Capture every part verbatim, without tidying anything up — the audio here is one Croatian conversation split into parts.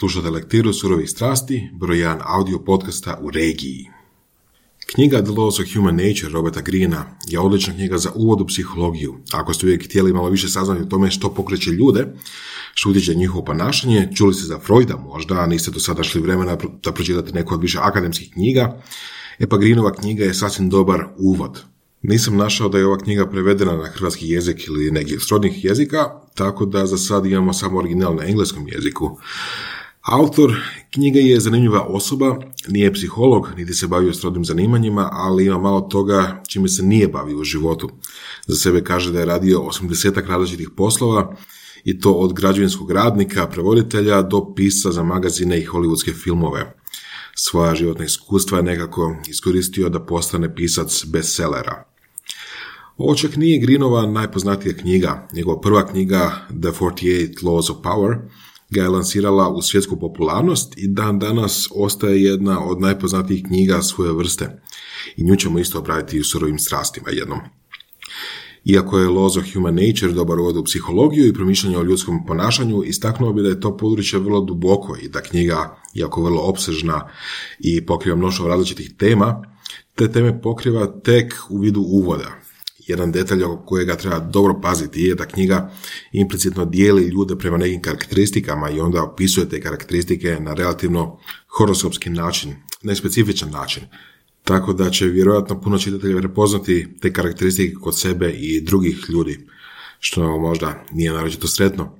Slušate lektiru surovih strasti, broj jedan audio podcasta u regiji. Knjiga The Laws of Human Nature Roberta Greena je odlična knjiga za uvod u psihologiju. Ako ste uvijek htjeli malo više saznati o tome što pokreće ljude, što utječe njihovo ponašanje, čuli ste za Freuda možda, a niste do sada šli vremena da pročitate neku od više akademskih knjiga, e pa Greenova knjiga je sasvim dobar uvod. Nisam našao da je ova knjiga prevedena na hrvatski jezik ili neki od srodnih jezika, tako da za sad imamo samo original na engleskom jeziku. Autor knjige je zanimljiva osoba, nije psiholog, niti se bavio srodnim zanimanjima, ali ima malo toga čime se nije bavio u životu. Za sebe kaže da je radio osamdesetak različitih poslova, i to od građevinskog radnika, prevoditelja do pisca za magazine i hollywoodske filmove. Svoja životna iskustva je nekako iskoristio da postane pisac bestsellera. Ovo čak nije Greenova najpoznatija knjiga. Njegova prva knjiga, The forty-eight Laws of Power, ga je lansirala u svjetsku popularnost i dan danas ostaje jedna od najpoznatijih knjiga svoje vrste. I nju ćemo isto obraditi u surovim strastima jednom. Iako je Laws of Human Nature dobar uvod u psihologiju i promišljanje o ljudskom ponašanju, istaknuo bi da je to područje vrlo duboko i da knjiga, iako vrlo opsežna i pokriva mnoštvo različitih tema, te teme pokriva tek u vidu uvoda. Jedan detalj oko kojega treba dobro paziti je da knjiga implicitno dijeli ljude prema nekim karakteristikama i onda opisuje te karakteristike na relativno horoskopski način, nespecifičan način. Tako da će vjerojatno puno čitatelja prepoznati te karakteristike kod sebe i drugih ljudi, što možda nije naročito sretno.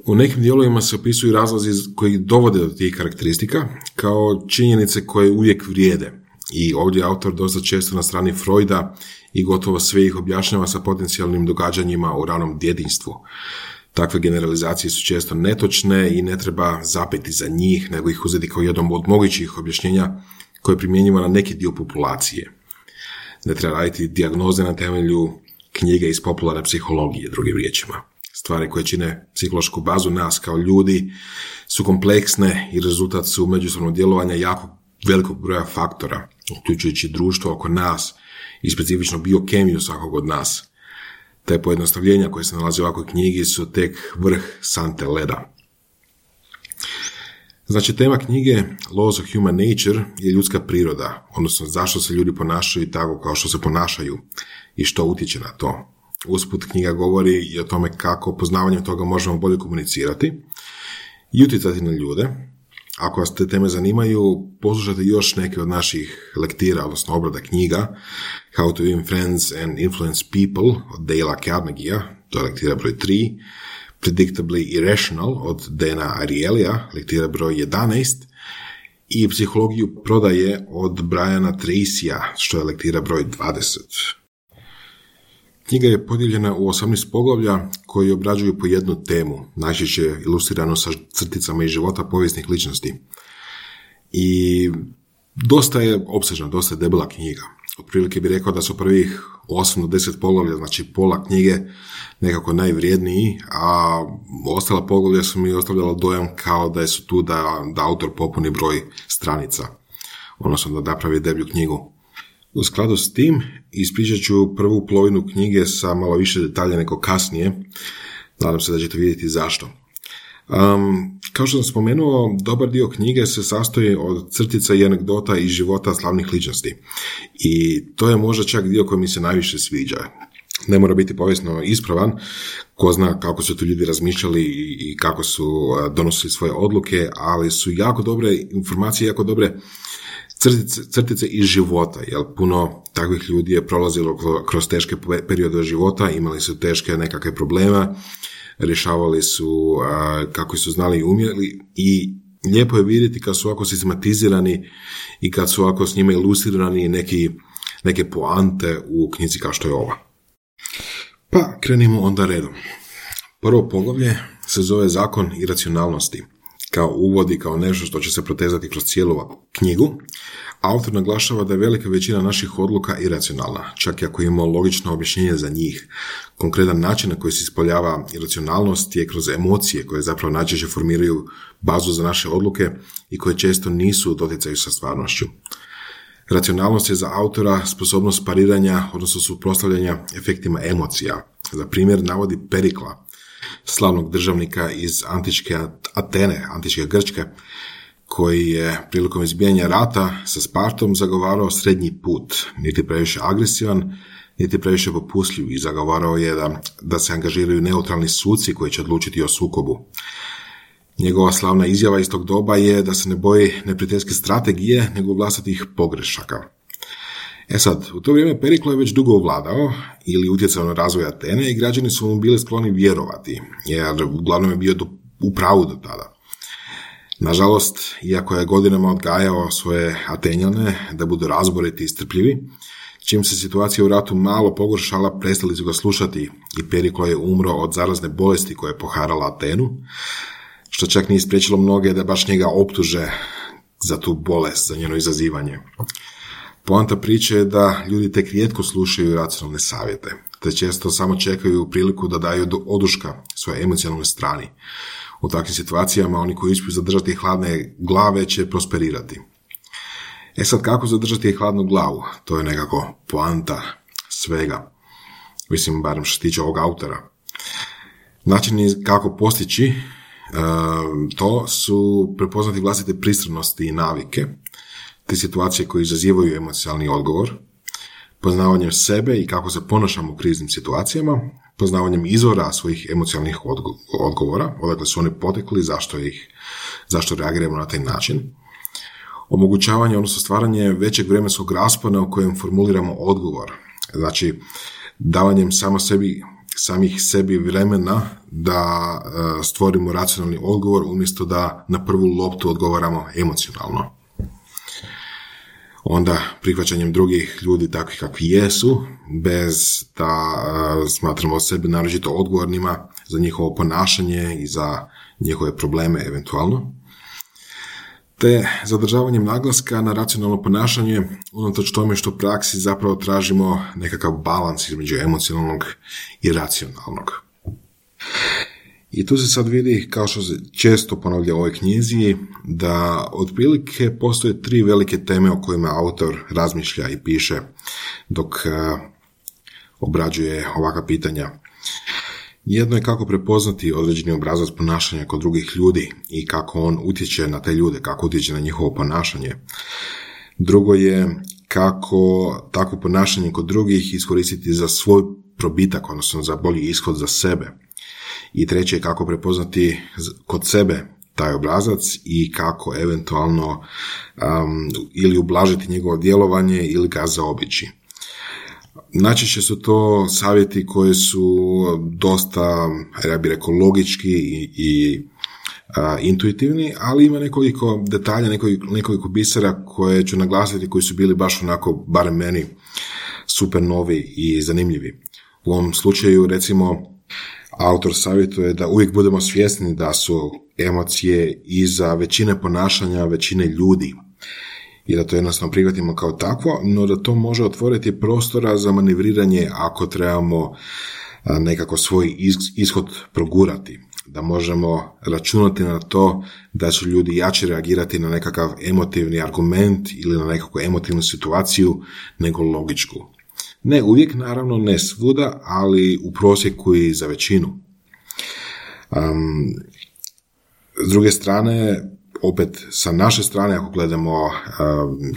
U nekim dijelovima se opisuju razlozi koji dovode do tih karakteristika, kao činjenice koje uvijek vrijede. I ovdje autor dosta često na strani Freuda i gotovo sve ih objašnjava sa potencijalnim događanjima u ranom djetinjstvu. Takve generalizacije su često netočne i ne treba zapeti za njih, nego ih uzeti kao jednom od mogućih objašnjenja koje je primjenjivo na neki dio populacije. Ne treba raditi dijagnoze na temelju knjige iz popularne psihologije, drugim riječima. Stvari koje čine psihološku bazu nas kao ljudi su kompleksne i rezultat su međusobnog djelovanja jako velikog broja faktora, uključujući društvo oko nas i specifično biokemiju svakog od nas. Te pojednostavljenja koje se nalaze u ovakvoj knjigi su tek vrh sante leda. Znači, tema knjige Laws of Human Nature je ljudska priroda, odnosno zašto se ljudi ponašaju tako kao što se ponašaju i što utječe na to. Usput knjiga govori i o tome kako poznavanjem toga možemo bolje komunicirati i utjecati na ljude. Ako vas te teme zanimaju, poslušajte još neke od naših lektira, odnosno obrada knjiga, How to Win Friends and Influence People od Dale Carnegiea, to je lektira broj tri, Predictably Irrational od Dana Arielyja, lektira broj jedanaest, i Psihologiju prodaje od Briana Tracya, što je lektira broj dvadeset. Knjiga je podijeljena u osamnaest poglavlja koji obrađuju po jednu temu, najčešće ilustrirano sa crticama iz života povijesnih ličnosti. I dosta je opsežna, dosta je debela knjiga. Otprilike bih rekao da su prvih osam do deset poglavlja, znači pola knjige, nekako najvrijedniji, a ostala poglavlja su mi ostavljala dojam kao da su tu da, da autor popuni broj stranica, odnosno da napravi deblju knjigu. U skladu s tim ispričat ću prvu polovinu knjige sa malo više detalja nego kasnije. Nadam se da ćete vidjeti zašto. Um, kao što sam spomenuo, dobar dio knjige se sastoji od crtica i anegdota iz života slavnih ličnosti. I to je možda čak dio koji mi se najviše sviđa. Ne mora biti povijesno ispravan, ko zna kako su tu ljudi razmišljali i kako su donosili svoje odluke, ali su jako dobre informacije, jako dobre Crtice, crtice iz života, jer puno takvih ljudi je prolazilo kroz teške periode života, imali su teške nekakve probleme, rješavali su a, kako su znali i umjeli, i lijepo je vidjeti kad su ovako sistematizirani i kad su ovako s njima ilustrirani neki, neke poante u knjizi kao što je ova. Pa krenimo onda redom. Prvo poglavlje se zove Zakon iracionalnosti. Kao uvodi, kao nešto što će se protezati kroz cijelu knjigu, autor naglašava da je velika većina naših odluka iracionalna, čak i ako imamo logično objašnjenje za njih. Konkretan način na koji se ispoljava iracionalnost je kroz emocije koje zapravo najčešće formiraju bazu za naše odluke i koje često nisu u doticaju sa stvarnošću. Racionalnost je za autora sposobnost pariranja, odnosno suprotstavljanja efektima emocija. Za primjer navodi Perikla, slavnog državnika iz antičke Atene, antičke Grčke, koji je prilikom izbijanja rata sa Spartom zagovarao srednji put, niti previše agresivan, niti previše popustljiv, i zagovarao je da, da se angažiraju neutralni suci koji će odlučiti o sukobu. Njegova slavna izjava iz tog doba je da se ne boji neprijateljske strategije, nego vlastitih pogrešaka. E sad, u to vrijeme Periklo je već dugo ovladao ili utjecao na razvoj Atene i građani su mu bili skloni vjerovati, jer uglavnom je bio do, u pravu do tada. Nažalost, iako je godinama odgajao svoje Atenjane da budu razboriti i strpljivi, čim se situacija u ratu malo pogoršala, prestali su ga slušati i Periklo je umro od zarazne bolesti koja je poharala Atenu, što čak nije spriječilo mnoge da baš njega optuže za tu bolest, za njeno izazivanje. Poanta priče je da ljudi tek rijetko slušaju racionalne savjete, te često samo čekaju priliku da daju oduška svojoj emocionalnoj strani. U takvim situacijama oni koji uspiju zadržati hladne glave će prosperirati. E sad, kako zadržati hladnu glavu? To je nekako poanta svega. Mislim, barem što se tiče ovog autora. Načini kako postići to su prepoznati vlastite pristranosti i navike, te situacije koje izazivaju emocionalni odgovor, poznavanjem sebe i kako se ponašamo u kriznim situacijama, poznavanjem izvora svojih emocionalnih odgovora, odakle su oni potekli, zašto ih, zašto reagiramo na taj način, omogućavanje, odnosno stvaranje većeg vremenskog raspona u kojem formuliramo odgovor, znači davanjem samo sebi, samih sebi vremena da stvorimo racionalni odgovor umjesto da na prvu loptu odgovaramo emocionalno. Onda prihvaćanjem drugih ljudi takvih kakvi jesu, bez da uh, smatramo sebe naročito odgovornima za njihovo ponašanje i za njihove probleme eventualno. Te zadržavanjem naglaska na racionalno ponašanje, unatoč tome što u praksi zapravo tražimo nekakav balans između emocionalnog i racionalnog. I tu se sad vidi, kao što se često ponavlja u ovoj knjizi, da otprilike postoje tri velike teme o kojima autor razmišlja i piše dok uh, obrađuje ovakva pitanja. Jedno je kako prepoznati određeni obrazac ponašanja kod drugih ljudi i kako on utječe na te ljude, kako utječe na njihovo ponašanje. Drugo je kako takvo ponašanje kod drugih iskoristiti za svoj probitak, odnosno za bolji ishod za sebe. I treće je kako prepoznati kod sebe taj obrazac i kako eventualno um, ili ublažiti njegovo djelovanje ili ga zaobići. Najčešće su to savjeti koji su dosta, ja bih rekao, logički i, i a, intuitivni, ali ima nekoliko detalja, nekoliko, nekoliko bisera koje ću naglasiti koji su bili baš onako, barem meni, super novi i zanimljivi. U ovom slučaju, recimo, autor savjetuje da uvijek budemo svjesni da su emocije iza većine ponašanja većine ljudi i da to jednostavno prihvatimo kao takvo, no da to može otvoriti prostora za manevriranje ako trebamo nekako svoj ishod progurati, da možemo računati na to da će ljudi jače reagirati na nekakav emotivni argument ili na nekakvu emotivnu situaciju nego logičku. Ne uvijek, naravno, ne svuda, ali u prosjeku i za većinu. Um, s druge strane, opet sa naše strane, ako gledamo um,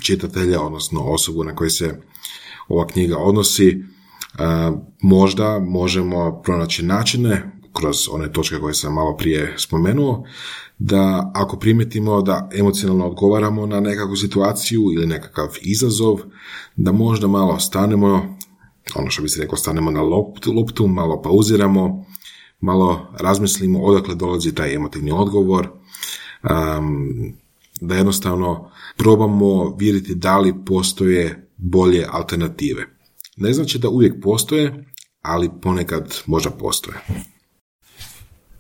čitatelja, odnosno osobu na koju se ova knjiga odnosi, uh, možda možemo pronaći načine, kroz one točke koje sam malo prije spomenuo, da ako primijetimo da emocionalno odgovaramo na nekakvu situaciju ili nekakav izazov, da možda malo stanemo, ono što bi se rekao, stanemo na loptu, loptu, malo pauziramo, malo razmislimo odakle dolazi taj emotivni odgovor, um, da jednostavno probamo vidjeti da li postoje bolje alternative. Ne znači da uvijek postoje, ali ponekad možda postoje.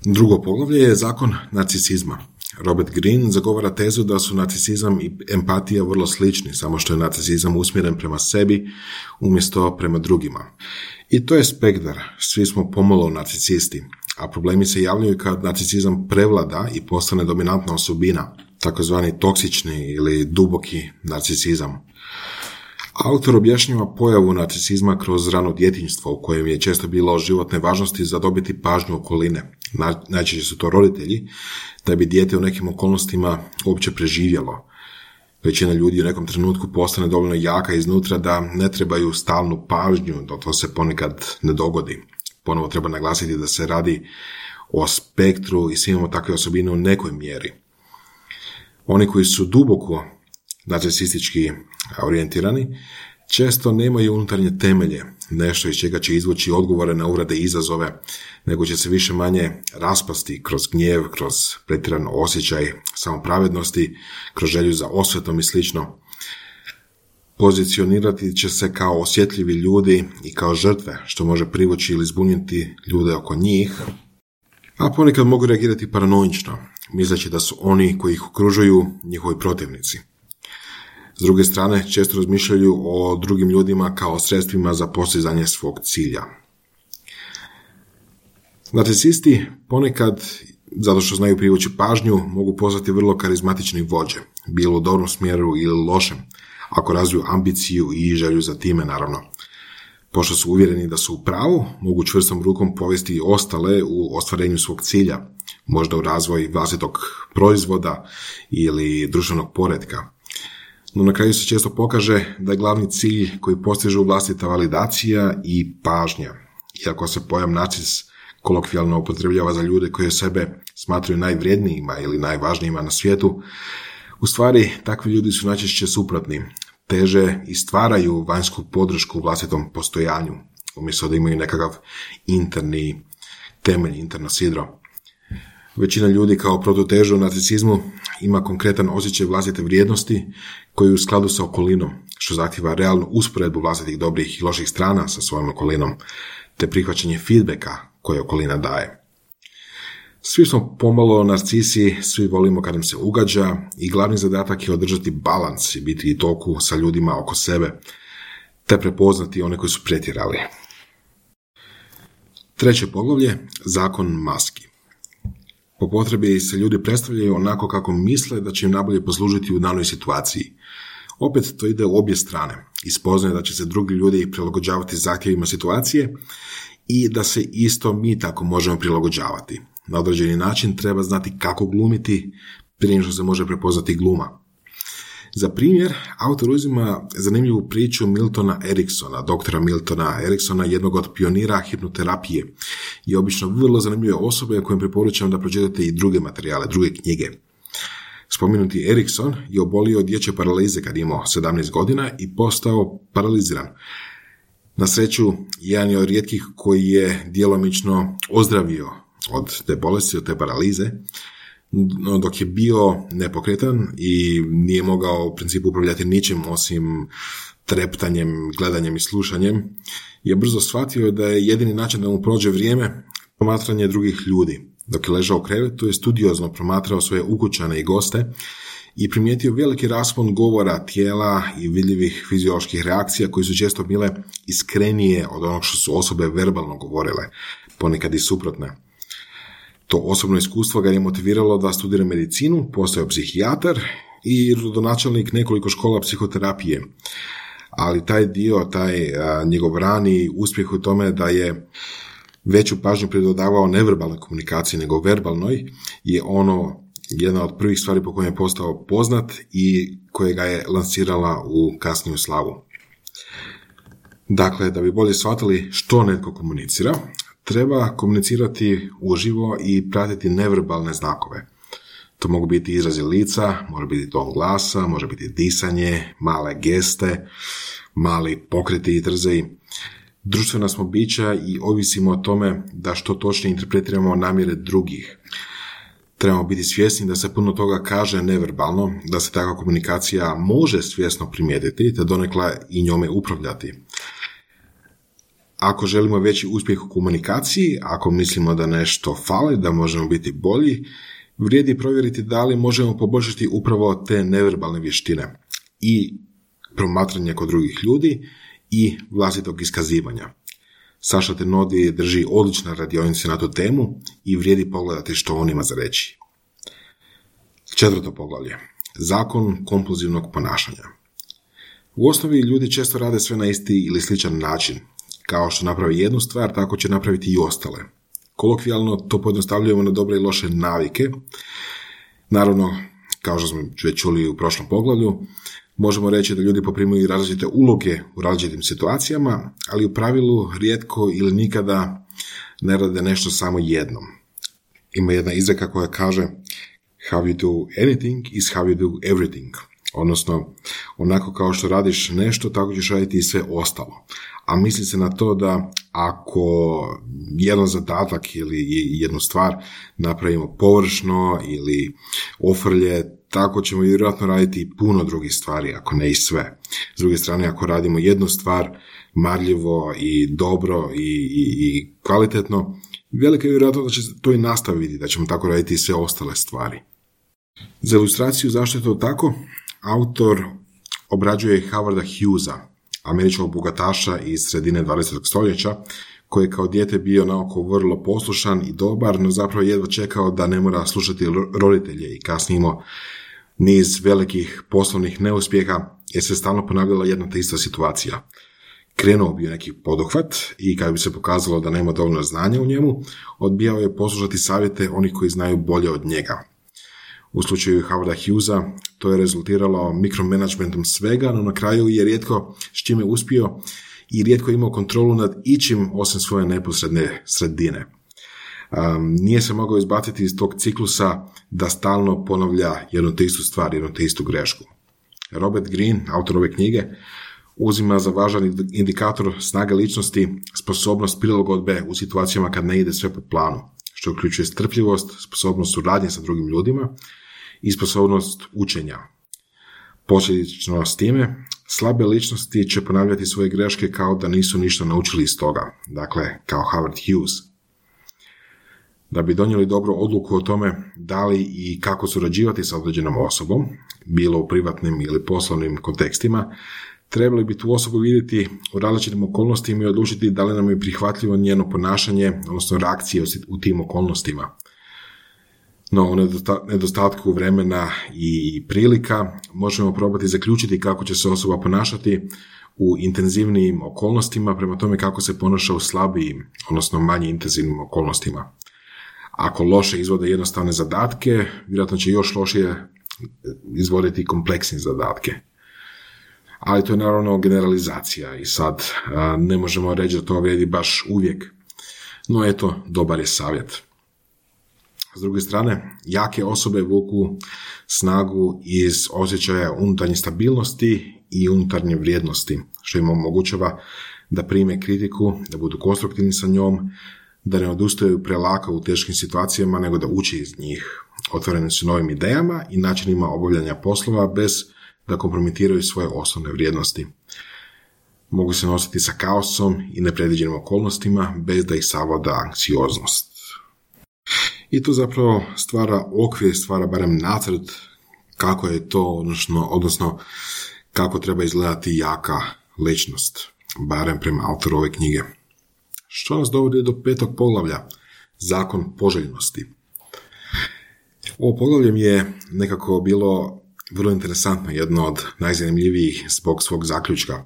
Drugo poglavlje je zakon narcisizma. Robert Greene zagovara tezu da su narcisizam i empatija vrlo slični, samo što je narcisizam usmjeren prema sebi umjesto prema drugima. I to je spektar, svi smo pomalo narcisisti, a problemi se javljaju kad narcisizam prevlada i postane dominantna osobina, takozvani toksični ili duboki narcisizam. Autor objašnjava pojavu narcisizma kroz rano djetinjstvo u kojem je često bilo životne važnosti zadobiti pažnju okoline, najčešće su to roditelji, da bi dijete u nekim okolnostima uopće preživjelo. Većina ljudi u nekom trenutku postane dovoljno jaka iznutra da ne trebaju stalnu pažnju, da to se ponekad ne dogodi. Ponovo treba naglasiti da se radi o spektru i svi imamo takve osobine u nekoj mjeri. Oni koji su duboko narcisistički orijentirani često nemaju unutarnje temelje, nešto iz čega će izvući odgovore na uvrede i izazove, nego će se više manje raspasti kroz gnjev, kroz pretjeran osjećaj samopravednosti, kroz želju za osvetom i slično. Pozicionirati će se kao osjetljivi ljudi i kao žrtve, što može privući ili zbuniti ljude oko njih, a ponekad mogu reagirati paranoično, misleći da su oni koji ih okružuju njihovi protivnici. S druge strane, često razmišljaju o drugim ljudima kao sredstvima za postizanje svog cilja. Narcisisti ponekad, zato što znaju privući pažnju, mogu postati vrlo karizmatični vođe, bilo u dobrom smjeru ili lošem, ako razviju ambiciju i želju za time, naravno. Pošto su uvjereni da su u pravu, mogu čvrstom rukom povesti ostale u ostvarenju svog cilja, možda u razvoj vlastitog proizvoda ili društvenog poretka. No na kraju se često pokaže da je glavni cilj koji postižu vlastita validacija i pažnja. Iako se pojam narcis kolokvijalno upotrebljava za ljude koji sebe smatraju najvrijednijima ili najvažnijima na svijetu, u stvari takvi ljudi su najčešće suprotni, teže i stvaraju vanjsku podršku vlastitom postojanju, umjesto da imaju nekakav interni temelj, interno sidro. Većina ljudi kao protutežu narcisizmu ima konkretan osjećaj vlastite vrijednosti koji je u skladu sa okolinom, što zahtjeva realnu usporedbu vlastitih dobrih i loših strana sa svojom okolinom, te prihvaćanje feedbacka koje okolina daje. Svi smo pomalo narcisi, svi volimo kad nam se ugađa i glavni zadatak je održati balans i biti u toku sa ljudima oko sebe, te prepoznati one koji su pretjerali. Treće poglavlje, zakon maski. Po potrebi se ljudi predstavljaju onako kako misle da će im najbolje poslužiti u danoj situaciji. Opet to ide u obje strane. Ispoznaje da će se drugi ljudi prilagođavati zahtjevima situacije i da se isto mi tako možemo prilagođavati. Na određeni način treba znati kako glumiti prije što se može prepoznati gluma. Za primjer, autor uzima zanimljivu priču Miltona Eriksona, doktora Miltona Eriksona, jednog od pionira hipnoterapije i obično vrlo zanimljive osobe kojem preporučam da pročitate i druge materijale, druge knjige. Spomenuti Erikson je obolio od dječje paralize kad je imao sedamnaest godina i postao paraliziran. Na sreću, jedan je od rijetkih koji je djelomično ozdravio od te bolesti, od te paralize, dok je bio nepokretan i nije mogao u principu upravljati ničim osim treptanjem, gledanjem i slušanjem, je brzo shvatio da je jedini način da mu prođe vrijeme promatranje drugih ljudi. Dok je ležao u krevetu, je studiozno promatrao svoje ukućane i goste i primijetio veliki raspon govora, tijela i vidljivih fizioloških reakcija koji su često bile iskrenije od onog što su osobe verbalno govorile, ponekad i suprotne. To osobno iskustvo ga je motiviralo da studira medicinu, postao psihijatar i rodonačelnik nekoliko škola psihoterapije. Ali taj dio, taj a, njegov rani uspjeh u tome da je veću pažnju pridodavao neverbalnoj komunikaciji nego verbalnoj, je ono jedna od prvih stvari po kojem je postao poznat i koje ga je lansirala u kasniju slavu. Dakle, da bi bolje shvatili što netko komunicira, treba komunicirati uživo i pratiti neverbalne znakove. To mogu biti izrazi lica, može biti ton glasa, može biti disanje, male geste, mali pokreti i trzaji. Društvena smo bića i ovisimo o tome da što točnije interpretiramo namjere drugih. Trebamo biti svjesni da se puno toga kaže neverbalno, da se takva komunikacija može svjesno primijetiti, te donekle i njome upravljati. Ako želimo veći uspjeh u komunikaciji, ako mislimo da nešto fali, da možemo biti bolji, vrijedi provjeriti da li možemo poboljšati upravo te neverbalne vještine i promatranje kod drugih ljudi i vlastitog iskazivanja. Saša Tenodi drži odlične radionice na tu temu i vrijedi pogledati što on ima za reći. Četvrto poglavlje. Zakon kompulzivnog ponašanja. U osnovi ljudi često rade sve na isti ili sličan način. Kao što napravi jednu stvar, tako će napraviti i ostale. Kolokvijalno to pojednostavljujemo na dobre i loše navike. Naravno, kao što smo već čuli u prošlom poglavlju, možemo reći da ljudi poprimaju različite uloge u različitim situacijama, ali u pravilu rijetko ili nikada ne rade nešto samo jednom. Ima jedna izreka koja kaže how you do anything is how you do everything. Odnosno, onako kao što radiš nešto, tako ćeš raditi i sve ostalo. A misli se na to da ako jedan zadatak ili jednu stvar napravimo površno ili ofrlje, tako ćemo vjerojatno raditi i puno drugih stvari, ako ne i sve. S druge strane, ako radimo jednu stvar marljivo i dobro i, i, i kvalitetno, velika je vjerojatnost da će to i nastaviti, da ćemo tako raditi i sve ostale stvari. Za ilustraciju zašto je to tako, autor obrađuje Howarda Hughesa, američkog bogataša iz sredine dvadesetog stoljeća, koji je kao dijete bio naoko vrlo poslušan i dobar, no zapravo jedva čekao da ne mora slušati roditelje i kasnije imao niz velikih poslovnih neuspjeha jer se stalno ponavljala jedna te ista situacija. Krenuo bio neki poduhvat i kad bi se pokazalo da nema dovoljno znanja u njemu, odbijao je poslušati savjete onih koji znaju bolje od njega. U slučaju Howarda Hughesa to je rezultiralo mikromanagementom svega, no na kraju je rijetko s čime uspio i rijetko imao kontrolu nad ičim osim svoje neposredne sredine. Um, nije se mogao izbaciti iz tog ciklusa da stalno ponavlja jednu te istu stvar, jednu te istu grešku. Robert Greene, autor ove knjige, uzima za važan indikator snage ličnosti sposobnost prilagodbe u situacijama kad ne ide sve po planu, što uključuje strpljivost, sposobnost suradnje sa drugim ljudima i sposobnost učenja. Posljedično s time, slabe ličnosti će ponavljati svoje greške kao da nisu ništa naučili iz toga, dakle kao Howard Hughes. Da bi donijeli dobru odluku o tome da li i kako surađivati sa određenom osobom, bilo u privatnim ili poslovnim kontekstima, trebali bi tu osobu vidjeti u različitim okolnostima i odlučiti da li nam je prihvatljivo njeno ponašanje, odnosno reakcije u tim okolnostima. No, u nedostatku vremena i prilika možemo probati zaključiti kako će se osoba ponašati u intenzivnijim okolnostima prema tome kako se ponaša u slabijim, odnosno manje intenzivnim okolnostima. Ako loše izvode jednostavne zadatke, vjerojatno će još lošije izvoditi kompleksne zadatke. Ali to je naravno generalizacija i sad a, ne možemo reći da to vrijedi baš uvijek. No eto, dobar je savjet. S druge strane, jake osobe vuku snagu iz osjećaja unutarnje stabilnosti i unutarnje vrijednosti, što im omogućava da prime kritiku, da budu konstruktivni sa njom, da ne odustaju prelako u teškim situacijama, nego da uči iz njih. Otvoreni su novim idejama i načinima obavljanja poslova bez da kompromitiraju svoje osnovne vrijednosti. Mogu se nositi sa kaosom i nepredviđenim okolnostima bez da ih savlada anksioznost. I to zapravo stvara okvir, stvara barem nacrt kako je to, odnosno, odnosno kako treba izgledati jaka ličnost, barem prema autoru ove knjige. Što nas dovodi do petog poglavlja, zakon poželjnosti. Ovo poglavlje mi je nekako bilo vrlo interesantno, jedno od najzanimljivijih zbog svog zaključka.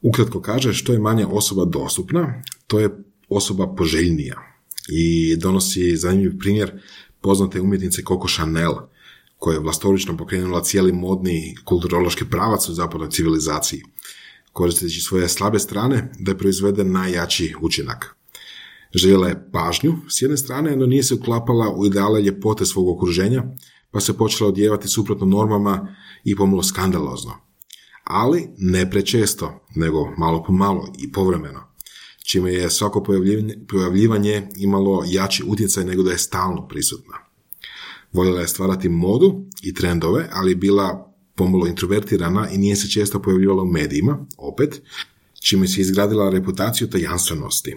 Ukratko kaže, što je manje osoba dostupna, to je osoba poželjnija. I donosi zanimljiv primjer poznate umjetnice Coco Chanel, koja je vlastorično pokrenula cijeli modni kulturološki pravac u zapadnoj civilizaciji, koristeći svoje slabe strane da je proizvede najjači učinak. Željela je pažnju s jedne strane, no nije se uklapala u ideale ljepote svog okruženja, pa se počela odjevati suprotno normama i pomalo skandalozno. Ali ne prečesto, nego malo po malo i povremeno, čime je svako pojavljivanje, pojavljivanje imalo jači utjecaj nego da je stalno prisutna. Voljela je stvarati modu i trendove, ali bila pomalo introvertirana i nije se često pojavljivala u medijima, opet, čime se izgradila reputaciju tajanstvenosti.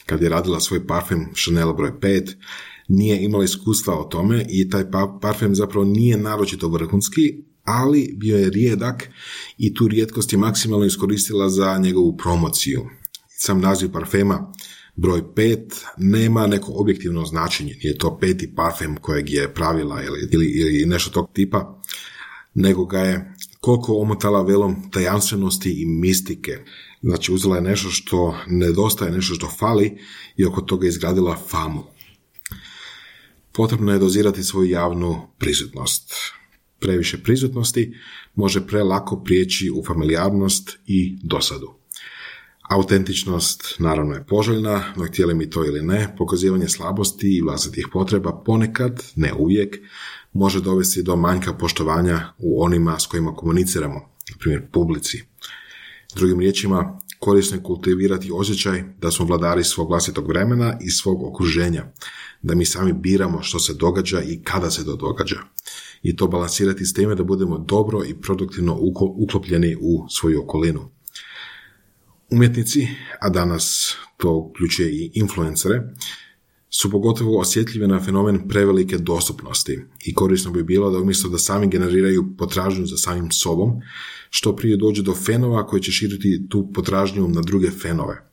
Kad je radila svoj parfem Chanel broj pet, nije imala iskustva o tome i taj parfem zapravo nije naročito vrhunski, ali bio je rijedak i tu rijetkost je maksimalno iskoristila za njegovu promociju. Sam naziv parfema broj pet nema neko objektivno značenje, nije to peti parfem kojeg je pravila ili, ili, ili nešto tog tipa, nego ga je koliko omotala velom tajanstvenosti i mistike. Znači, uzela je nešto što nedostaje, nešto što fali i oko toga izgradila famu. Potrebno je dozirati svoju javnu prisutnost. Previše prisutnosti može prelako prijeći u familijarnost i dosadu. Autentičnost naravno je poželjna, no htjeli mi to ili ne, pokazivanje slabosti i vlastitih potreba ponekad, ne uvijek, može dovesti do manjka poštovanja u onima s kojima komuniciramo, na primjer publici. Drugim riječima, korisno je kultivirati osjećaj da smo vladari svog vlastitog vremena i svog okruženja, da mi sami biramo što se događa i kada se to događa. I to balansirati s time da budemo dobro i produktivno uklopljeni u svoju okolinu. Umjetnici, a danas to uključuje i influencere, su pogotovo osjetljivi na fenomen prevelike dostupnosti i korisno bi bilo da umjesto da sami generiraju potražnju za samim sobom, što prije dođu do fenova koji će širiti tu potražnju na druge fenove.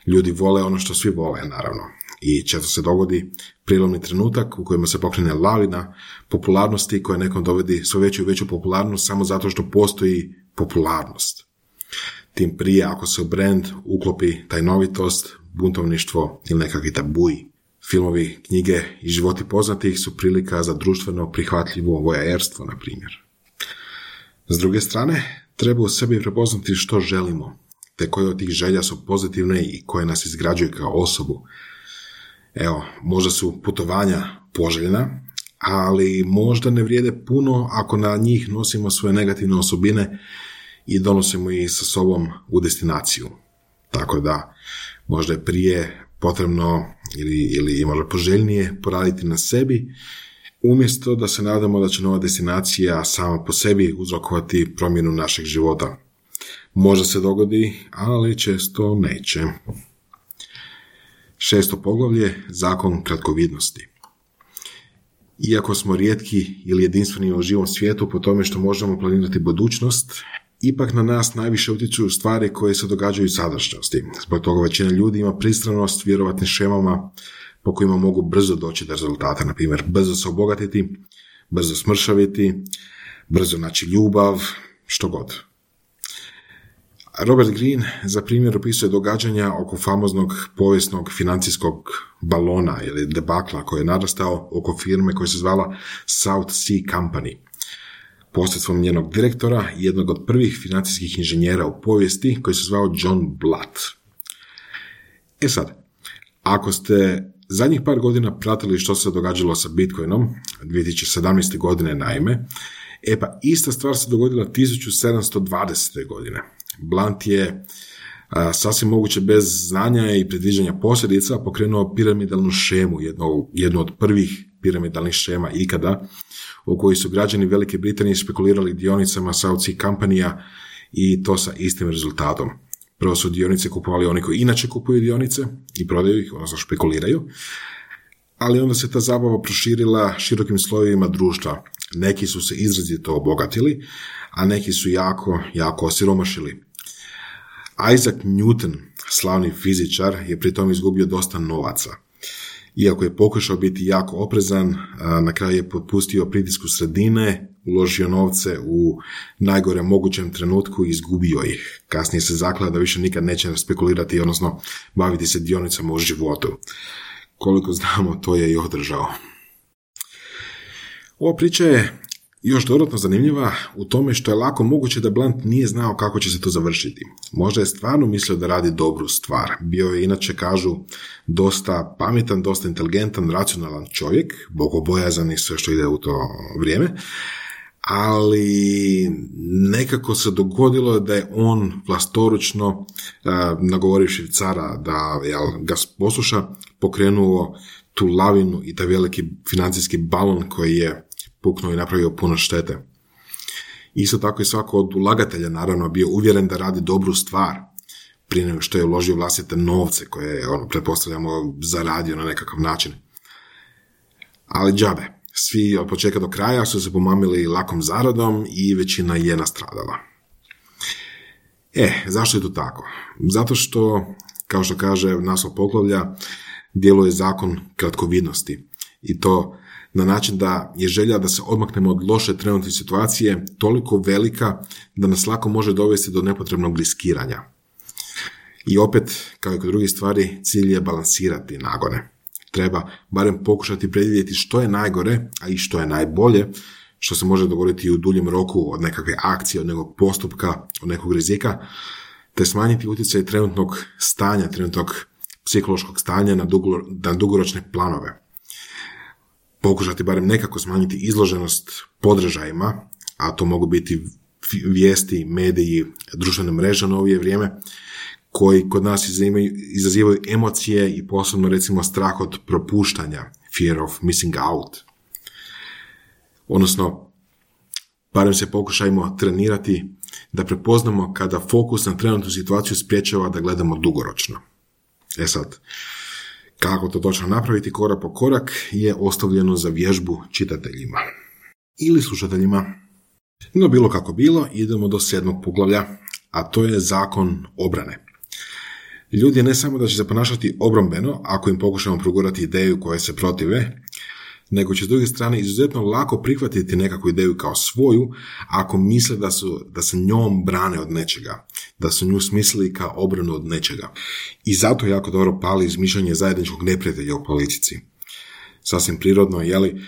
Ljudi vole ono što svi vole, naravno. I često se dogodi prijelomni trenutak u kojima se pokrene lavina popularnosti koja nekom dovodi sve veću i veću popularnost samo zato što postoji popularnost. Tim prije ako se u brand uklopi tajnovitost, buntovništvo ili nekakvi tabuji. Filmovi, knjige i životi poznatih su prilika za društveno prihvatljivo voajerstvo, na primjer. S druge strane, treba u sebi prepoznati što želimo, te koje od tih želja su pozitivne i koje nas izgrađuju kao osobu. Evo, možda su putovanja poželjna, ali možda ne vrijede puno ako na njih nosimo svoje negativne osobine i donosimo ih sa sobom u destinaciju. Tako da, možda je prije potrebno ili, ili možda poželjnije poraditi na sebi, umjesto da se nadamo da će nova destinacija sama po sebi uzrokovati promjenu našeg života. Možda se dogodi, ali često neće. Šesto poglavlje, zakon kratkovidnosti. Iako smo rijetki ili jedinstveni u živom svijetu po tome što možemo planirati budućnost, ipak na nas najviše utječu stvari koje se događaju u sadašnjosti. Zbog toga većina ljudi ima pristranost vjerovatnim šemama po kojima mogu brzo doći do rezultata. Na primjer, brzo se obogatiti, brzo smršaviti, brzo naći ljubav, što god. Robert Greene za primjer opisuje događanja oko famoznog povijesnog financijskog balona ili debakla koji je narastao oko firme koja se zvala South Sea Company. Posredstvom njenog direktora i jednog od prvih financijskih inženjera u povijesti koji se zvao John Blatt. E sad, ako ste zadnjih par godina pratili što se događalo sa Bitcoinom, dvije tisuće sedamnaeste. godine naime, e pa ista stvar se dogodila tisuću sedamsto dvadesete. godine. Blunt je a, sasvim moguće bez znanja i predviđanja posljedica pokrenuo piramidalnu šemu, jednu, jednu od prvih piramidalnih šema ikada, u kojoj su građani Velike Britanije spekulirali dionicama South Sea Company-a i to sa istim rezultatom. Prvo su dionice kupovali oni koji inače kupuju dionice i prodaju ih, odnosno špekuliraju, ali onda se ta zabava proširila širokim slojevima društva. Neki su se izrazito obogatili, a neki su jako, jako osiromašili. Isaac Newton, slavni fizičar, je pritom izgubio dosta novaca. Iako je pokušao biti jako oprezan, na kraju je potpustio pritisku sredine, uložio novce u najgore mogućem trenutku i izgubio ih. Kasnije se zakleo da više nikad neće spekulirati, odnosno baviti se dionicama u životu. Koliko znamo, to je i održao. Ova priča je još dodatno zanimljiva u tome što je lako moguće da Blunt nije znao kako će se to završiti. Možda je stvarno mislio da radi dobru stvar. Bio je, inače kažu, dosta pametan, dosta inteligentan, racionalan čovjek, bogobojazan i sve što ide u to vrijeme, ali nekako se dogodilo da je on vlastoručno, uh, nagovorivši cara da jel, ga posluša, pokrenuo tu lavinu i taj veliki financijski balon koji je puknuo i napravio puno štete. Isto tako i svako od ulagatelja naravno bio uvjeren da radi dobru stvar prije nego što je uložio vlastite novce koje je, ono, pretpostavljamo, zaradio na nekakav način. Ali džabe. Svi od početka do kraja su se pomamili lakom zaradom i većina je nastradala. E, zašto je to tako? Zato što, kao što kaže naslov poglavlja, djeluje zakon kratkovidnosti. I to na način da je želja da se odmaknemo od loše trenutne situacije toliko velika da nas lako može dovesti do nepotrebnog riskiranja. I opet, kao i kod drugih stvari, cilj je balansirati nagone. Treba barem pokušati predvidjeti što je najgore, a i što je najbolje, što se može dogoditi u duljem roku od nekakve akcije, od nekog postupka, od nekog rizika, te smanjiti utjecaj trenutnog stanja, trenutnog psihološkog stanja na, dugo, na dugoročne planove. Pokušati barem nekako smanjiti izloženost podražajima, a to mogu biti vijesti, mediji, društvene mreže u novije vrijeme, koji kod nas izazivaju, izazivaju emocije i posebno recimo strah od propuštanja, fear of missing out. Odnosno, barem se pokušajmo trenirati da prepoznamo kada fokus na trenutnu situaciju spriječava da gledamo dugoročno. E sad, kako to točno napraviti korak po korak je ostavljeno za vježbu čitateljima ili slušateljima. No bilo kako bilo, idemo do sedmog poglavlja, a to je zakon obrane. Ljudi ne samo da će se ponašati obrambeno ako im pokušamo progurati ideju koje se protive, nego će s druge strane izuzetno lako prihvatiti nekakvu ideju kao svoju ako misle da, su, da se njom brane od nečega, da su nju smislili kao obranu od nečega. I zato jako dobro pali izmišljanje zajedničkog neprijatelja u politici. Sasvim prirodno, jeli,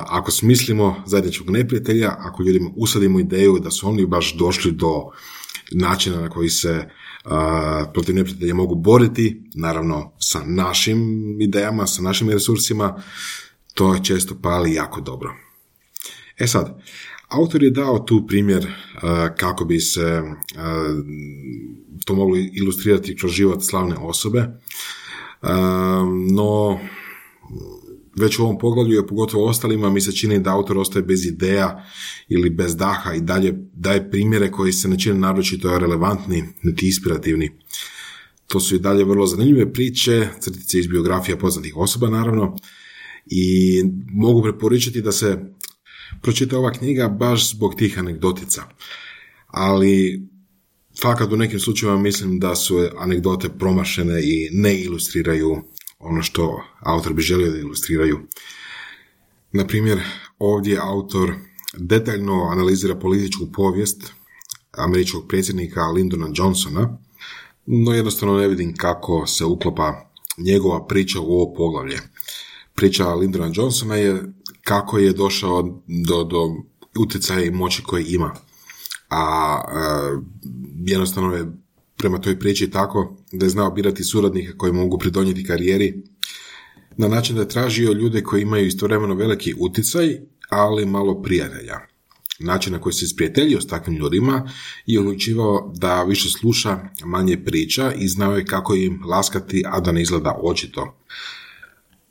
ako smislimo zajedničkog neprijatelja, ako ljudima usadimo ideju da su oni baš došli do načina na koji se Uh, protiv neprijatelja mogu boriti, naravno sa našim idejama, sa našim resursima, to je često pali jako dobro. E sad, autor je dao tu primjer uh, kako bi se uh, to moglo ilustrirati kroz život slavne osobe, uh, no već u ovom poglavlju, a pogotovo ostalima, mi se čini da autor ostaje bez ideja ili bez daha i dalje daje primjere koji se ne čine naročito relevantni, niti inspirativni. To su i dalje vrlo zanimljive priče, crtice iz biografija poznatih osoba naravno, i mogu preporučiti da se pročita ova knjiga baš zbog tih anegdotica. Ali fakat u nekim slučajevima mislim da su anegdote promašene i ne ilustriraju ono što autor bi želio da ilustriraju. Na primjer, ovdje autor detaljno analizira političku povijest američkog predsjednika Lyndona Johnsona, no jednostavno ne vidim kako se uklopa njegova priča u ovo poglavlje. Priča Lyndona Johnsona je kako je došao do, do utjecaja i moći koje ima. A e, jednostavno je prema toj priči tako da je znao birati suradnike koji mogu pridonijeti karijeri na način da je tražio ljude koji imaju istovremeno veliki utjecaj, ali malo prijatelja. Način na koji se sprijateljio s takvim ljudima je odlučivao da više sluša, manje priča i znao je kako im laskati, a da ne izgleda očito.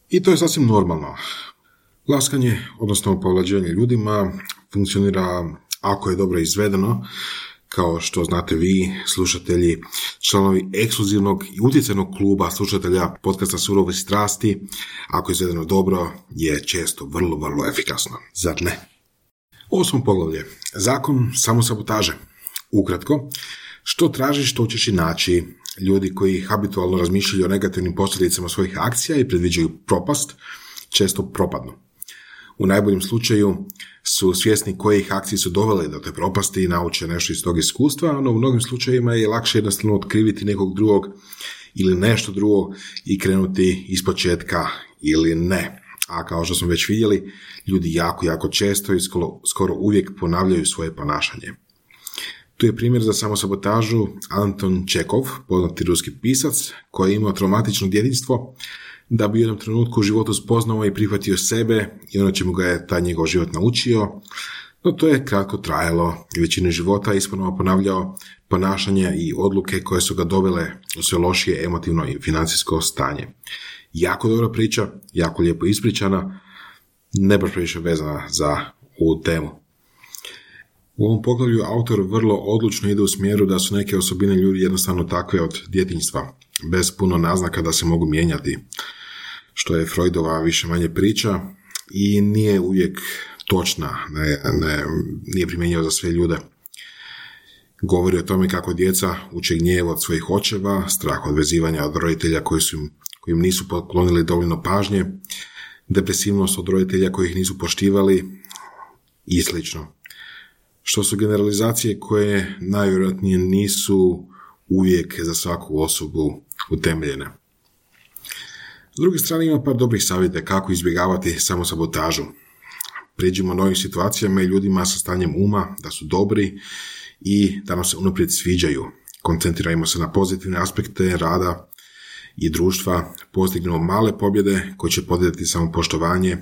I to je sasvim normalno. Laskanje, odnosno povlađivanje ljudima, funkcionira ako je dobro izvedeno, kao što znate vi, slušatelji, članovi ekskluzivnog i utjecajnog kluba slušatelja podcasta Surove strasti, ako je izvedeno dobro, je često vrlo, vrlo efikasno. Zar ne? Osmo poglavlje. Zakon samosabotaže. Ukratko, što tražiš, to ćeš i naći. Ljudi koji habitualno razmišljaju o negativnim posljedicama svojih akcija i predviđaju propast, često propadnu. U najboljem slučaju su svjesni kojih akcije su dovele do te propasti i nauče nešto iz tog iskustva, no u mnogim slučajevima je lakše jednostavno otkriviti nekog drugog ili nešto drugo i krenuti ispočetka ili ne. A kao što smo već vidjeli, ljudi jako, jako često i skoro, skoro uvijek ponavljaju svoje ponašanje. Tu je primjer za samosabotažu Anton Čekov, poznati ruski pisac, koji je imao traumatično djetinjstvo, da bi u jednom trenutku u životu spoznao i prihvatio sebe i ono čemu ga je taj njegov život naučio, no to je kratko trajalo i većinu života isponovo ponavljao ponašanja i odluke koje su ga dovele u sve lošije emotivno i financijsko stanje. Jako dobra priča, jako lijepo ispričana, ne baš previše vezana za ovu temu. U ovom poglavlju autor vrlo odlučno ide u smjeru da su neke osobine ljudi jednostavno takve od djetinjstva, bez puno naznaka da se mogu mijenjati, što je Freudova više manje priča i nije uvijek točna, ne, ne, nije primjenjiva za sve ljude. Govori o tome kako djeca uče gnjev od svojih očeva, strah od vezivanja od roditelja koji su im, koji im nisu poklonili dovoljno pažnje, depresivnost od roditelja koji ih nisu poštivali i slično. Što su generalizacije koje najvjerojatnije nisu uvijek za svaku osobu utemeljene. S druge strane ima par dobrih savjeta kako izbjegavati samosabotažu. Priđimo novim situacijama i ljudima sa stanjem uma da su dobri i da nam se unaprijed sviđaju. Koncentrirajmo se na pozitivne aspekte rada i društva, postignemo male pobjede koje će podizati samopoštovanje,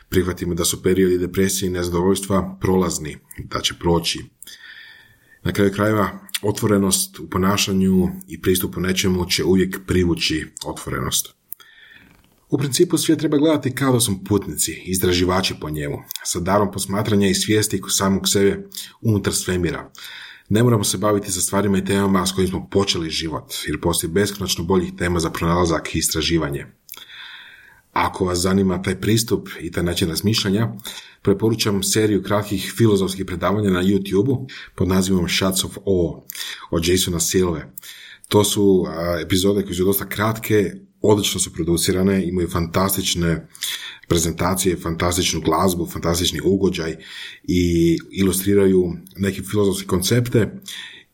prihvatimo da su periodi depresije i nezadovoljstva prolazni, da će proći. Na kraju krajeva, otvorenost u ponašanju i pristupu nečemu će uvijek privući otvorenost. U principu svijet treba gledati kao da smo putnici, istraživači po njemu, sa darom posmatranja i svijesti samog sebe unutar svemira. Ne moramo se baviti sa stvarima i temama s kojim smo počeli život, jer postoji beskonačno boljih tema za pronalazak i istraživanje. Ako vas zanima taj pristup i taj način razmišljanja, preporučam seriju kratkih filozofskih predavanja na YouTube-u pod nazivom Shots of Awe od Jasona Silve. To su a, epizode koje su dosta kratke, odlično su producirane, imaju fantastične prezentacije, fantastičnu glazbu, fantastični ugođaj i ilustriraju neke filozofske koncepte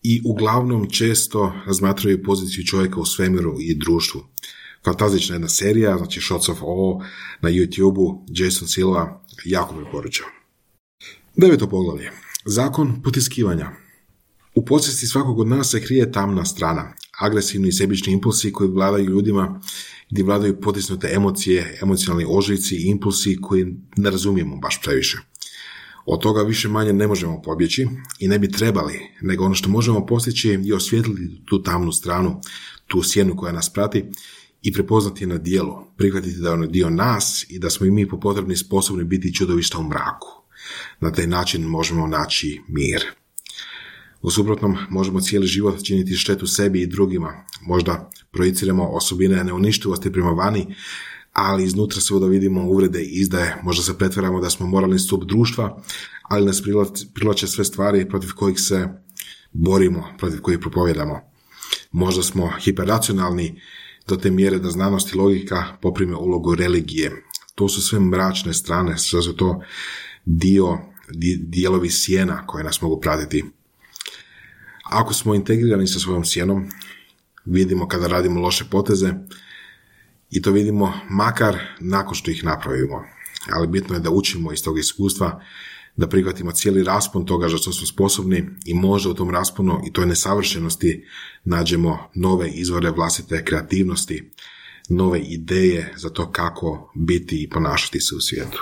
i uglavnom često razmatraju poziciju čovjeka u svemiru i društvu. Fantastična jedna serija, znači Shots of Awe na YouTube-u, Jason Silva, jako preporučam. Deveto poglavlje. Zakon potiskivanja. U podsvijesti svakog od nas se krije tamna strana, agresivni i sebični impulsi koji vladaju ljudima, gdje vladaju potisnute emocije, emocionalni ožiljci i impulsi koji ne razumijemo baš previše. Od toga više manje ne možemo pobjeći i ne bi trebali, nego ono što možemo postići je osvijetliti tu tamnu stranu, tu sjenu koja nas prati i prepoznati je na djelu, prihvatiti da je ono dio nas i da smo i mi po potrebni sposobni biti čudovišta u mraku. Na taj način možemo naći mir. U suprotnom, možemo cijeli život činiti štetu sebi i drugima. Možda projiciramo osobine neuništivosti prema vani, ali iznutra se da vidimo uvrede i izdaje. Možda se pretvaramo da smo moralni stup društva, ali nas privlače sve stvari protiv kojih se borimo, protiv kojih propovjedamo. Možda smo hiperracionalni do te mjere da znanost i logika poprime ulogu religije. To su sve mračne strane, sve su to dio, dijelovi sjena koje nas mogu pratiti. Ako smo integrirani sa svojom sjenom, vidimo kada radimo loše poteze i to vidimo makar nakon što ih napravimo. Ali bitno je da učimo iz tog iskustva, da prihvatimo cijeli raspon toga za što smo sposobni i možda u tom rasponu i toj nesavršenosti nađemo nove izvore vlastite kreativnosti, nove ideje za to kako biti i ponašati se u svijetu.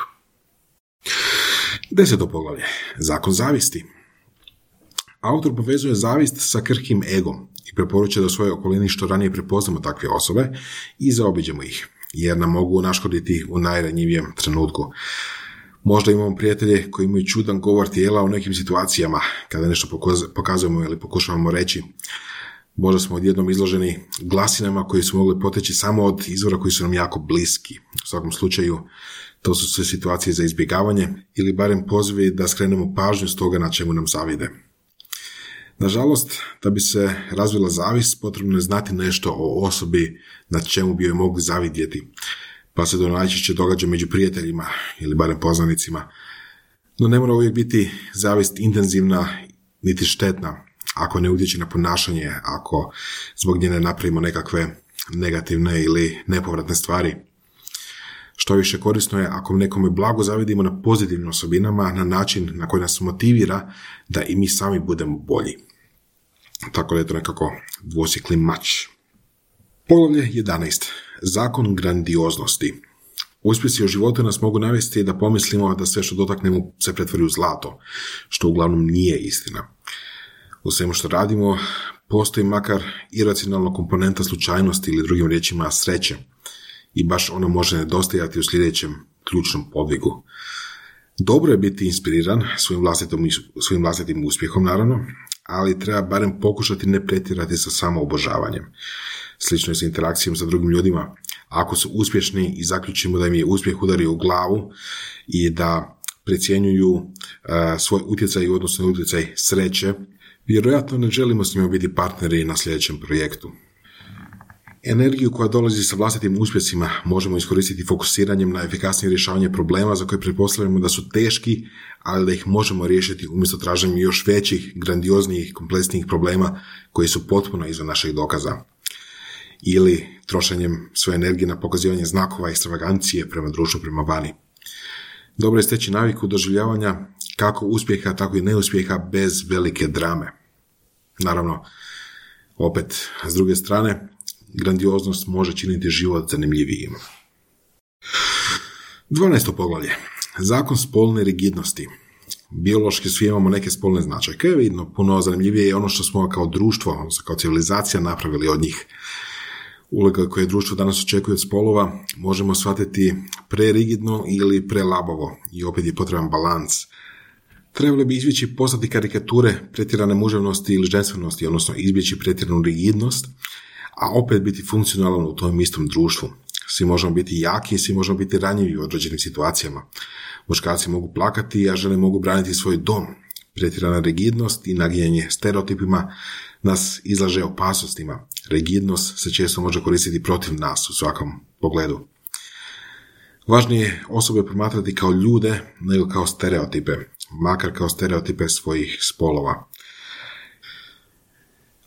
Deseto poglavlje. Zakon zavisti. Autor povezuje zavist sa krhkim egom i preporučuje da u svojoj okolini što ranije prepoznamo takve osobe i zaobiđemo ih, jer nam mogu naškoditi u najranjivijem trenutku. Možda imamo prijatelje koji imaju čudan govor tijela u nekim situacijama, kada nešto pokazujemo ili pokušavamo reći. Možda smo odjednom izloženi glasinama koji su mogli poteći samo od izvora koji su nam jako bliski. U svakom slučaju, to su sve situacije za izbjegavanje ili barem pozivi da skrenemo pažnju s toga na čemu nam zavide. Nažalost, da bi se razvila zavist, potrebno je znati nešto o osobi na čemu bi joj mogli zavidjeti, pa se to najčešće događa među prijateljima ili barem poznanicima. No ne mora uvijek biti zavist intenzivna niti štetna, ako ne utječe na ponašanje, ako zbog nje ne napravimo nekakve negativne ili nepovratne stvari. Što više korisno je ako nekome blago zavidimo na pozitivnim osobinama, na način na koji nas motivira da i mi sami budemo bolji. Tako da je to nekako dvosjekli mač. Poglavlje jedanaest. Zakon grandioznosti. Uspjesi u životu nas mogu navesti da pomislimo da sve što dotaknemo se pretvori u zlato, što uglavnom nije istina. U svemu što radimo postoji makar iracionalna komponenta slučajnosti ili drugim riječima sreće i baš ona može nedostajati u sljedećem ključnom podvigu. Dobro je biti inspiriran svojim vlastitim, svojim vlastitim uspjehom, naravno, ali treba barem pokušati ne pretjerati sa samoobožavanjem. Slično je sa interakcijom sa drugim ljudima. Ako su uspješni i zaključimo da im je uspjeh udario u glavu i da precjenjuju uh, svoj utjecaj u odnosu na utjecaj sreće, vjerojatno ne želimo s njima biti partneri na sljedećem projektu. Energiju koja dolazi sa vlastitim uspjesima možemo iskoristiti fokusiranjem na efikasnije rješavanje problema za koje pretpostavljamo da su teški, ali da ih možemo riješiti umjesto traženjem još većih, grandioznijih, kompleksnijih problema koji su potpuno izvan naših dokaza. Ili trošenjem svoje energije na pokazivanje znakova ekstravagancije prema društvu, prema vani. Dobro je steći naviku doživljavanja kako uspjeha, tako i neuspjeha bez velike drame. Naravno, opet, s druge strane, grandioznost može činiti život zanimljivijim. dvanaesto poglavlje. Zakon spolne rigidnosti. Biološki svi imamo neke spolne značajke, vidno puno zanimljivije je ono što smo kao društvo, odnosno kao civilizacija napravili od njih. Uloga koje društvo danas očekuje od spolova možemo shvatiti prerigidno ili prelabavo i opet je potreban balans. Trebali bi izbjeći postati karikature pretjerane muževnosti ili ženstvenosti, odnosno izbjeći pretjeranu rigidnost, a opet biti funkcionalan u tom istom društvu. Svi možemo biti jaki, svi možemo biti ranjivi u određenim situacijama. Muškarci mogu plakati, a žene mogu braniti svoj dom. Pretjerana rigidnost i nagijanje stereotipima nas izlaže opasnostima. Rigidnost se često može koristiti protiv nas u svakom pogledu. Važnije je osobe promatrati kao ljude nego kao stereotipe, makar kao stereotipe svojih spolova.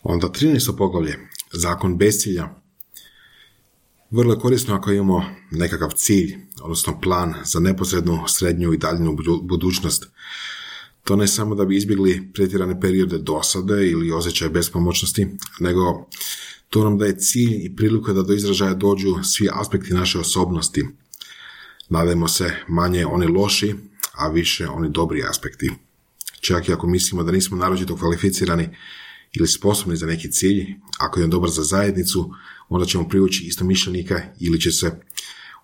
Onda trinaesto poglavlje. Zakon bezcilja. Vrlo je korisno ako imamo nekakav cilj, odnosno plan za neposrednu, srednju i daljnju budućnost. To ne samo da bi izbjegli pretjerane periode dosade ili osjećaje bespomoćnosti, nego to nam daje cilj i priliku da do izražaja dođu svi aspekti naše osobnosti. Nadajmo se manje oni loši, a više oni dobri aspekti. Čak i ako mislimo da nismo naročito kvalificirani ili sposobni za neki cilj, ako je on dobar za zajednicu, onda ćemo privući istomišljenika ili će se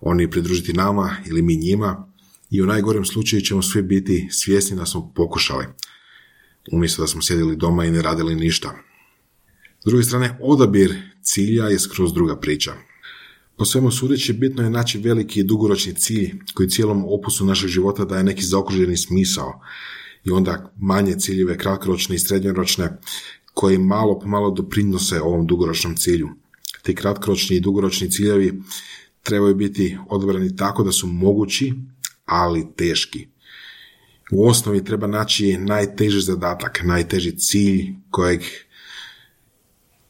oni pridružiti nama ili mi njima i u najgorem slučaju ćemo svi biti svjesni da smo pokušali, umjesto da smo sjedili doma i ne radili ništa. S druge strane, odabir cilja je skroz druga priča. Po svemu sudeći, bitno je naći veliki i dugoročni cilj koji cijelom opusu našeg života daje neki zaokruženi smisao i onda manje ciljeve, kratkoročne i srednjoročne, koji malo po malo doprinose ovom dugoročnom cilju. Ti kratkoročni i dugoročni ciljevi trebaju biti odabrani tako da su mogući, ali teški. U osnovi treba naći najteži zadatak, najteži cilj kojeg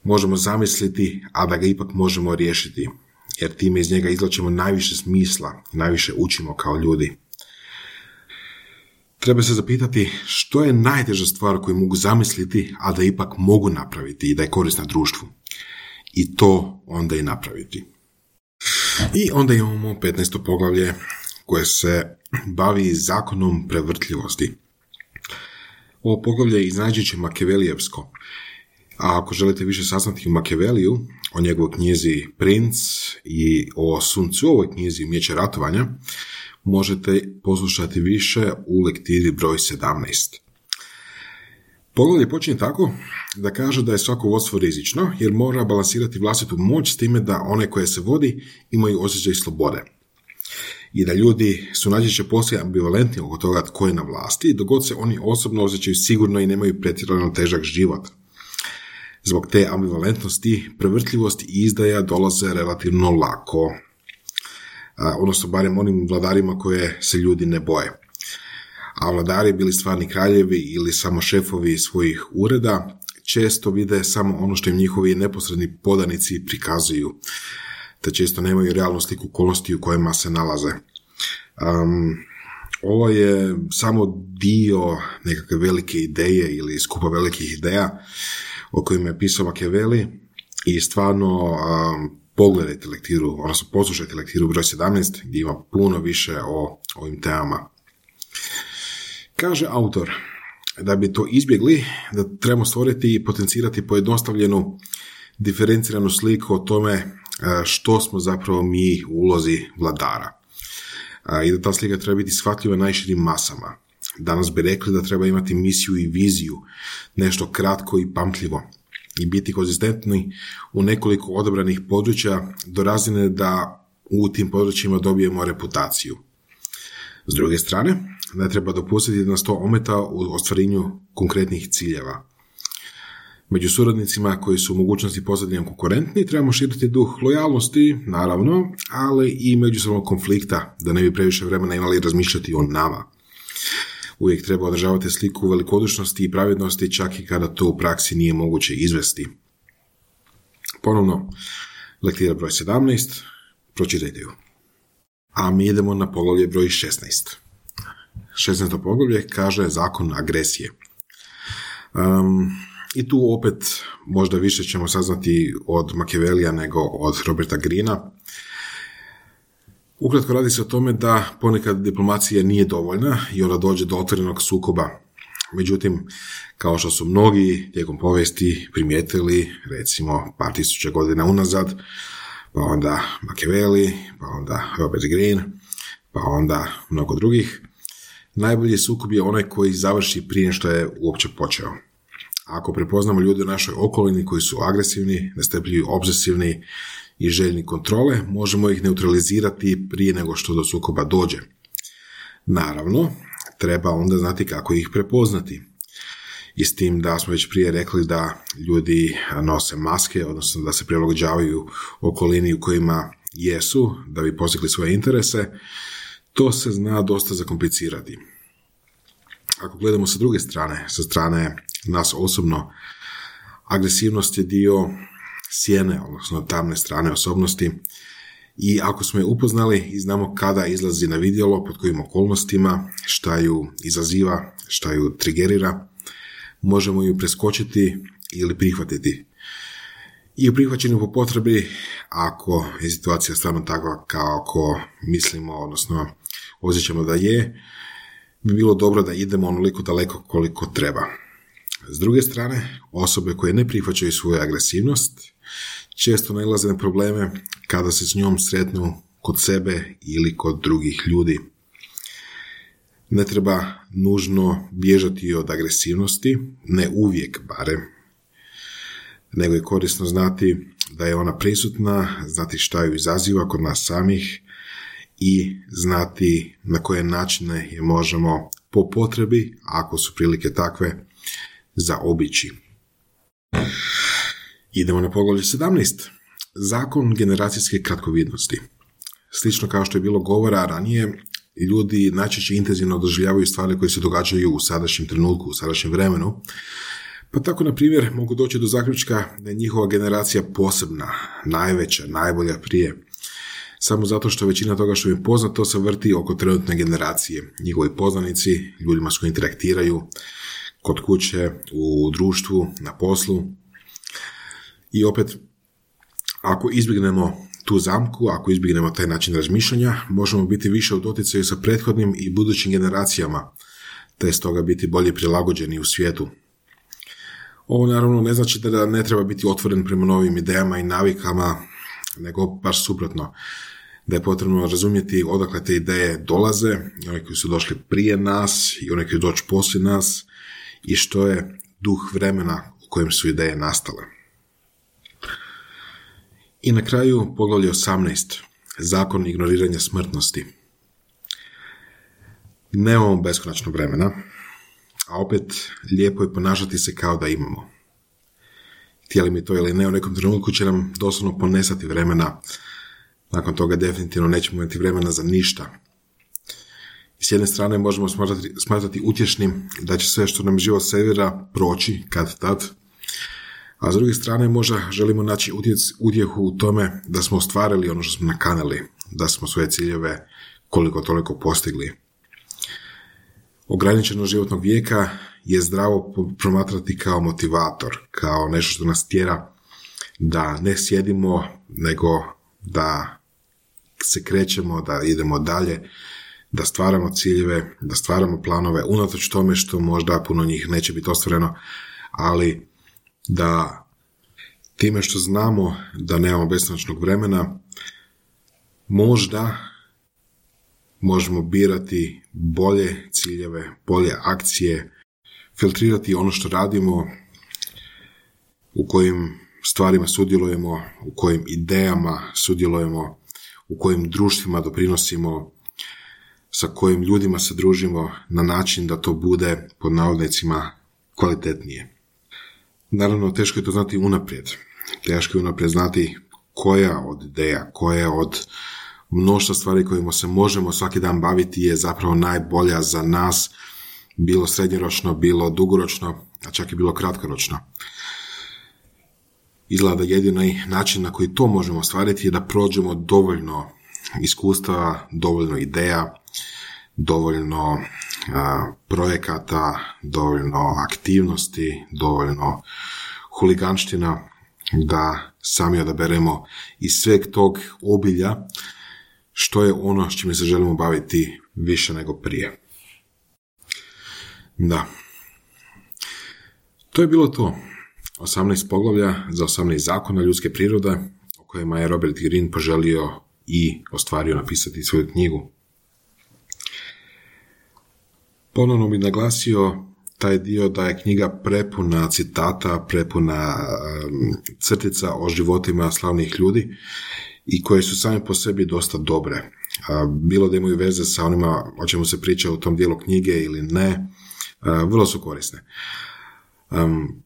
možemo zamisliti, a da ga ipak možemo riješiti, jer time iz njega izvlačimo najviše smisla, najviše učimo kao ljudi. Treba se zapitati što je najteža stvar koju mogu zamisliti, a da ipak mogu napraviti i da je korisna društvu. I to onda i napraviti. I onda imamo petnaesto poglavlje koje se bavi zakonom prevrtljivosti. Ovo poglavlje je iznađiće Makevelijevsko. A ako želite više saznati o Makeveliju, o njegovoj knjizi Princ i o Sun Tzuovoj knjizi Umijeće ratovanja, možete poslušati više u lektiri broj sedamnaest. Poglavlje počinje tako da kaže da je svako vodstvo rizično, jer mora balansirati vlastitu moć s time da one koje se vodi imaju osjećaj slobode. I da ljudi su najčešće poslije ambivalentni oko toga tko je na vlasti, dok god se oni osobno osjećaju sigurno i nemaju pretjerano težak život. Zbog te ambivalentnosti, prevrtljivost i izdaja dolaze relativno lako. A, odnosno barem onim vladarima koje se ljudi ne boje. A vladari, bili stvarni kraljevi ili samo šefovi svojih ureda, često vide samo ono što im njihovi neposredni podanici prikazuju, te često nemaju realnu sliku okolnosti u kojima se nalaze. Um, ovo je samo dio nekakve velike ideje ili skupa velikih ideja o kojima je pisao Machiavelli i stvarno um, pogledajte lektiru, odnosno poslušajte lektiru broj sedamnaest gdje ima puno više o ovim temama. Kaže autor da bi to izbjegli, da trebamo stvoriti i potencirati pojednostavljenu, diferenciranu sliku o tome što smo zapravo mi u ulozi vladara. I da ta slika treba biti shvatljiva najširim masama. Danas bi rekli da treba imati misiju i viziju, nešto kratko i pamtljivo i biti konzistentni u nekoliko odabranih područja do razine da u tim područjima dobijemo reputaciju. S druge strane, ne treba dopustiti da nas to ometa u ostvarenju konkretnih ciljeva. Među suradnicima koji su u mogućnosti postati nam konkurentni trebamo širiti duh lojalnosti, naravno, ali i međusobnog konflikta, da ne bi previše vremena imali razmišljati o nama. Uvijek treba održavati sliku velikodušnosti i pravednosti, čak i kada to u praksi nije moguće izvesti. Ponovno, lektira broj sedamnaest, pročitajte ju. A mi idemo na poglavlje broj šesnaest. šesnaesto poglavlje kaže zakon agresije. Um, I tu opet možda više ćemo saznati od Machiavellija nego od Roberta Greena. Ukratko radi se o tome da ponekad diplomacija nije dovoljna i onda dođe do otvorenog sukoba. Međutim, kao što su mnogi tijekom povijesti primijetili, recimo par tisuća godina unazad, pa onda Machiavelli, pa onda Robert Greene, pa onda mnogo drugih, najbolji sukob je onaj koji završi prije što je uopće počeo. Ako prepoznamo ljude u našoj okolini koji su agresivni, nestrpljivi, obsesivni i željni kontrole, možemo ih neutralizirati prije nego što do sukoba dođe. Naravno, treba onda znati kako ih prepoznati. I s tim da smo već prije rekli da ljudi nose maske, odnosno da se prilagođavaju okolini u kojima jesu, da bi postigli svoje interese, to se zna dosta zakomplicirati. Ako gledamo sa druge strane, sa strane nas osobno, agresivnost je dio sjene, odnosno tamne strane osobnosti, i ako smo je upoznali i znamo kada izlazi na vidjelo, pod kojim okolnostima, šta ju izaziva, šta ju trigerira, možemo ju preskočiti ili prihvatiti. I u prihvaćenju po potrebi, ako je situacija stvarno takva kao ako mislimo, odnosno osjećamo da je, bi bilo dobro da idemo onoliko daleko koliko treba. S druge strane, osobe koje ne prihvaćaju svoju agresivnost često nailaze na probleme kada se s njom sretnu kod sebe ili kod drugih ljudi. Ne treba nužno bježati od agresivnosti, ne uvijek barem, nego je korisno znati da je ona prisutna, znati šta ju izaziva kod nas samih i znati na koje načine je možemo po potrebi, ako su prilike takve, zaobići. Idemo na poglavlje sedamnaest. Zakon generacijske kratkovidnosti. Slično kao što je bilo govora ranije, ljudi najčešće intenzivno doživljavaju stvari koje se događaju u sadašnjem trenutku, u sadašnjem vremenu. Pa tako, na primjer, mogu doći do zaključka da je njihova generacija posebna, najveća, najbolja prije. Samo zato što većina toga što im poznato se vrti oko trenutne generacije. Njihovi poznanici, ljudima s kojim interaktiraju, kod kuće, u društvu, na poslu. I opet, ako izbjegnemo tu zamku, ako izbjegnemo taj način razmišljanja, možemo biti više u doticaju sa prethodnim i budućim generacijama, te stoga biti bolje prilagođeni u svijetu. Ovo naravno ne znači da ne treba biti otvoren prema novim idejama i navikama, nego baš suprotno, da je potrebno razumjeti odakle te ideje dolaze, i one koji su došli prije nas i one koji doći poslije nas, i što je duh vremena u kojem su ideje nastale. I na kraju poglavlje osamnaest. Zakon ignoriranja smrtnosti. Nemamo beskonačno vremena, a opet lijepo je ponašati se kao da imamo. Htjeli mi to ili ne, u nekom trenutku će nam doslovno ponesati vremena. Nakon toga definitivno nećemo imati vremena za ništa. I s jedne strane možemo smatrati, smatrati utješnim da će sve što nam život servira proći kad tad, a s druge strane možda želimo naći utjec, utjehu u tome da smo ostvarili ono što smo nakanali, da smo svoje ciljeve koliko toliko postigli. Ograničenost životnog vijeka je zdravo promatrati kao motivator, kao nešto što nas tjera da ne sjedimo, nego da se krećemo, da idemo dalje, da stvaramo ciljeve, da stvaramo planove, unatoč tome što možda puno njih neće biti ostvareno, ali da time što znamo da nemamo beskonačnog vremena, možda možemo birati bolje ciljeve, bolje akcije, filtrirati ono što radimo, u kojim stvarima sudjelujemo, u kojim idejama sudjelujemo, u kojim društvima doprinosimo, sa kojim ljudima se družimo na način da to bude, pod navodnicima, kvalitetnije. Naravno, teško je to znati unaprijed. Teško je unaprijed znati koja od ideja, koja od mnoštva stvari kojima se možemo svaki dan baviti je zapravo najbolja za nas, bilo srednjoročno, bilo dugoročno, a čak i bilo kratkoročno. Izgleda jedini način na koji to možemo ostvariti je da prođemo dovoljno iskustva, dovoljno ideja, dovoljno a, projekata, dovoljno aktivnosti, dovoljno huliganština, da sami odaberemo iz sveg tog obilja što je ono s čime se želimo baviti više nego prije. Da. To je bilo to. osamnaest poglavlja za osamnaest zakona ljudske prirode o kojima je Robert Greene poželio i ostvario napisati svoju knjigu. Ponovno bih naglasio taj dio da je knjiga prepuna citata, prepuna um, crtica o životima slavnih ljudi i koje su same po sebi dosta dobre. Uh, bilo da imaju veze sa onima o čemu se priča u tom dijelu knjige ili ne, uh, vrlo su korisne. Um,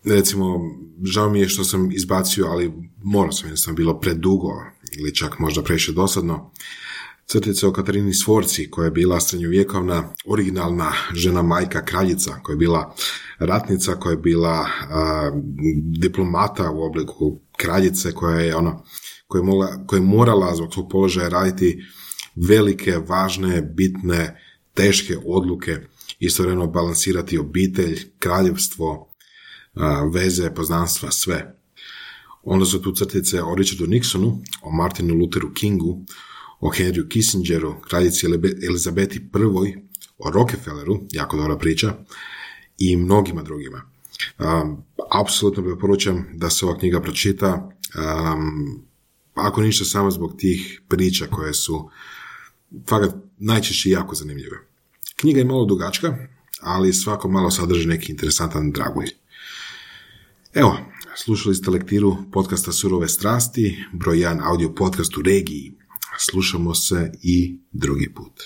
recimo, žao mi je što sam izbacio, ali morao sam, jer sam bilo predugo ili čak možda previše dosadno, crtice o Katarini Sforci, koja je bila srednjovjekovna, originalna žena majka kraljica, koja je bila ratnica, koja je bila a, diplomata u obliku kraljice, koja je ona, koja je, mola, koja je morala zbog svog položaja raditi velike, važne, bitne, teške odluke, istovremeno balansirati obitelj, kraljevstvo, a, veze, poznanstva, sve. Onda su tu crtice o Richardu Nixonu, o Martinu Lutheru Kingu, o Henryu Kissingeru, kraljici Elizabeti I, o Rockefelleru, jako dobra priča, i mnogima drugima. Um, apsolutno preporučam da se ova knjiga pročita, um, ako ništa samo zbog tih priča koje su fakat najčešće jako zanimljive. Knjiga je malo dugačka, ali svako malo sadrži neki interesantan dragulj. Evo, slušali ste lektiru podcasta Surove strasti, broj jedan audio podcast u regiji. Slušamo se i drugi put.